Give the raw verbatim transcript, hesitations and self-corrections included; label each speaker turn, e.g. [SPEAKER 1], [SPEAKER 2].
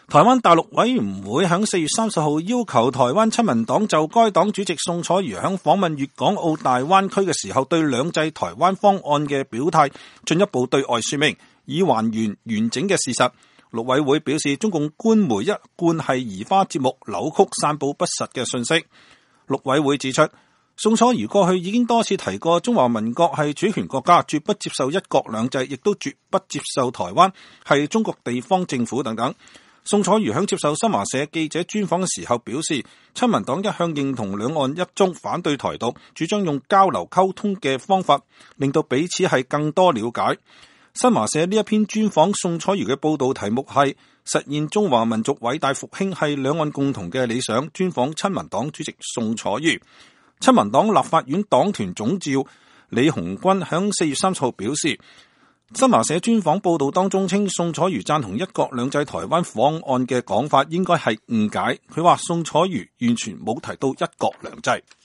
[SPEAKER 1] 台灣大陸委員會喺四月三十號要求台灣親民黨就該黨主席宋楚瑜喺訪問粵港澳大灣區嘅時候對兩制台灣方案嘅表態進一步對外說明，以還原完整嘅事實。陸委會表示，中共官媒一貫係移花接木、扭曲散佈不實嘅信息。陸委會指出，宋楚瑜過去已經多次提過中華民國係主權國家，絕不接受一國兩制，亦都絕不接受台灣係中國地方政府等等。宋楚瑜喺接受新華社記者專訪嘅時候表示，親民黨一向認同兩岸一中，反對台獨，主張用交流溝通嘅方法，令到彼此係更多了解。新華社呢一篇專訪宋楚瑜嘅報道題目係實現中華民族偉大復興係兩岸共同嘅理想，專訪親民黨主席宋楚瑜。親民黨立法院黨團總召李鴻鈞喺四月三十號表示，新華社專訪報道當中稱宋楚瑜贊同一國兩制台灣方案嘅講法應該係誤解，佢話宋楚瑜完全冇提到一國兩制。